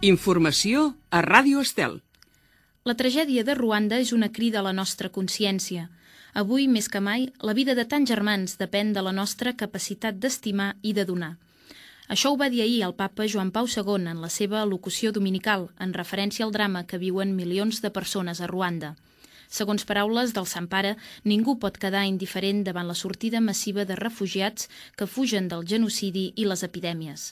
Informació a Ràdio Estel. La tragèdia de Ruanda és una crida a la nostra consciència. Avui, més que mai, la vida de tants germans depèn de la nostra capacitat d'estimar i de donar. Això ho va dir ahir el papa Joan Pau II en la seva al·locució dominical, en referència al drama que viuen milions de persones a Ruanda. Segons paraules del Sant Pare, ningú pot quedar indiferent davant la sortida massiva de refugiats que fugen del genocidi i les epidèmies.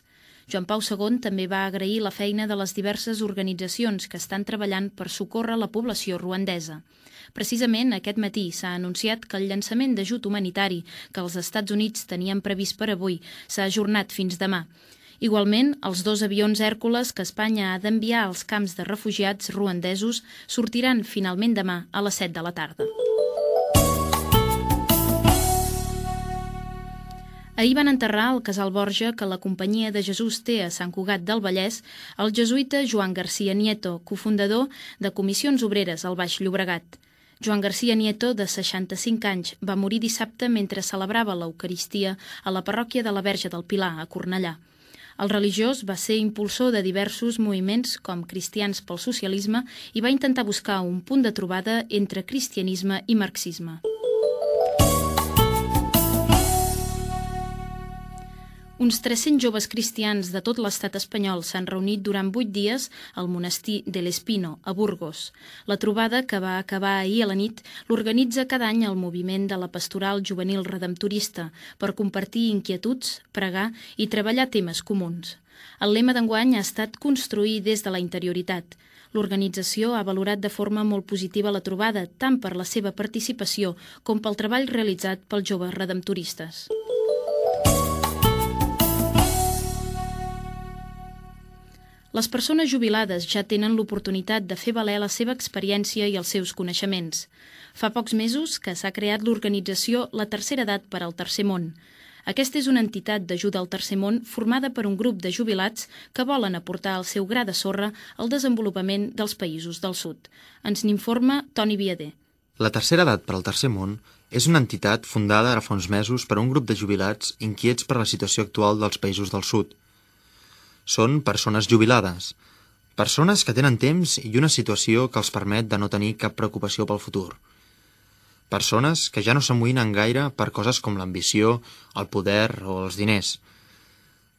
Joan Pau II també va agrair la feina de les diverses organitzacions que estan treballant per socórrer la població ruandesa. Precisament aquest matí s'ha anunciat que el llançament d'ajut humanitari que els Estats Units tenien previst per avui s'ha ajornat fins demà. Igualment, els 2 avions Hèrcules que Espanya ha d'enviar als camps de refugiats ruandesos sortiran finalment demà a les 7 de la tarda. Ahir van enterrar al Casal Borja, que la Companyia de Jesús té a Sant Cugat del Vallès, el jesuïta Joan García Nieto, cofundador de Comissions Obreres al Baix Llobregat. Joan García Nieto, de 65 anys, va morir dissabte mentre celebrava l'Eucaristia a la parròquia de la Verge del Pilar, a Cornellà. El religiós va ser impulsor de diversos moviments com Cristians pel Socialisme i va intentar buscar un punt de trobada entre cristianisme i marxisme. Uns 300 joves cristians de tot l'estat espanyol s'han reunit durant 8 dies al monestir de l'Espino, a Burgos. La trobada, que va acabar ahir a la nit, l'organitza cada any el moviment de la Pastoral Juvenil Redemptorista per compartir inquietuds, pregar i treballar temes comuns. El lema d'enguany ha estat construir des de la interioritat. L'organització ha valorat de forma molt positiva la trobada, tant per la seva participació com pel treball realitzat pels joves redemptoristes. Les persones jubilades ja tenen l'oportunitat de fer valer la seva experiència i els seus coneixements. Fa pocs mesos que s'ha creat l'organització La Tercera Edat per al Tercer Món. Aquesta és una entitat d'ajuda al Tercer Món formada per un grup de jubilats que volen aportar el seu gra de sorra al desenvolupament dels països del sud. Ens n'informa Toni Viader. La Tercera Edat per al Tercer Món és una entitat fundada ara fa uns mesos per un grup de jubilats inquiets per la situació actual dels països del sud. Són persones jubilades, persones que tenen temps i una situació que els permet de no tenir cap preocupació pel futur. Persones que ja no s'amoïnen gaire per coses com l'ambició, el poder o els diners.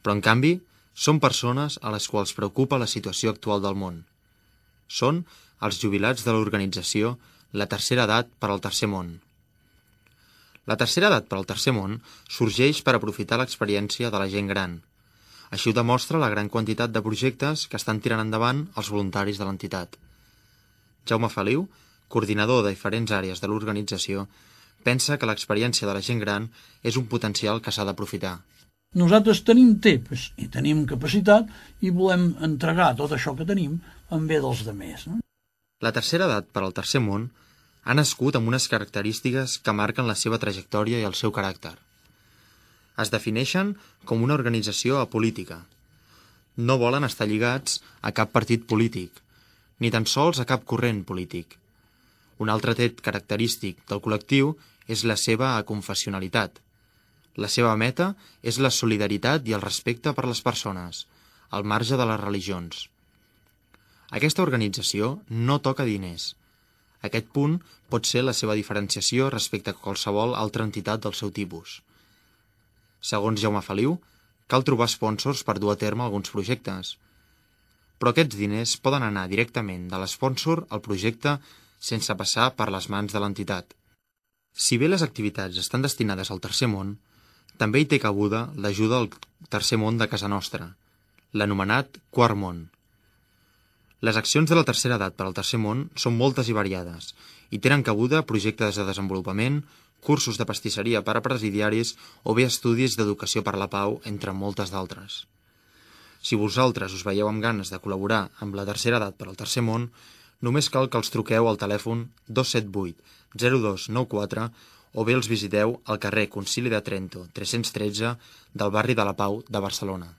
Però, en canvi, són persones a les quals preocupa la situació actual del món. Són els jubilats de l'organització La Tercera Edat per al Tercer Món. La Tercera Edat per al Tercer Món sorgeix per aprofitar l'experiència de la gent gran. Així ho demostra la gran quantitat de projectes que estan tirant endavant els voluntaris de l'entitat. Jaume Feliu, coordinador de diferents àrees de l'organització, pensa que l'experiència de la gent gran és un potencial que s'ha d'aprofitar. Nosaltres tenim temps i tenim capacitat i volem entregar tot això que tenim en bé dels demés. La Tercera Edat per al Tercer Món ha nascut amb unes característiques que marquen la seva trajectòria i el seu caràcter. Es defineixen com una organització apolítica. No volen estar lligats a cap partit polític, ni tan sols a cap corrent polític. Un altre tret característic del col·lectiu és la seva aconfessionalitat. La seva meta és la solidaritat i el respecte per les persones, al marge de les religions. Aquesta organització no toca diners. Aquest punt pot ser la seva diferenciació respecte a qualsevol altra entitat del seu tipus. Segons Jaume Feliu, cal trobar sponsors per dur a terme alguns projectes. Però aquests diners poden anar directament de l'espònsor al projecte sense passar per les mans de l'entitat. Si bé les activitats estan destinades al Tercer Món, també hi té cabuda l'ajuda al Tercer Món de casa nostra, l'anomenat Quart Món. Les accions de la Tercera Edat per al Tercer Món són moltes i variades i tenen cabuda projectes de desenvolupament, cursos de pastisseria per a presidiaris o bé estudis d'educació per la pau, entre moltes d'altres. Si vosaltres us veieu amb ganes de col·laborar amb la Tercera Edat per al Tercer Món, només cal que els truqueu al telèfon 278 0294 o bé els visiteu al carrer Concili de Trento 313 del barri de la Pau de Barcelona.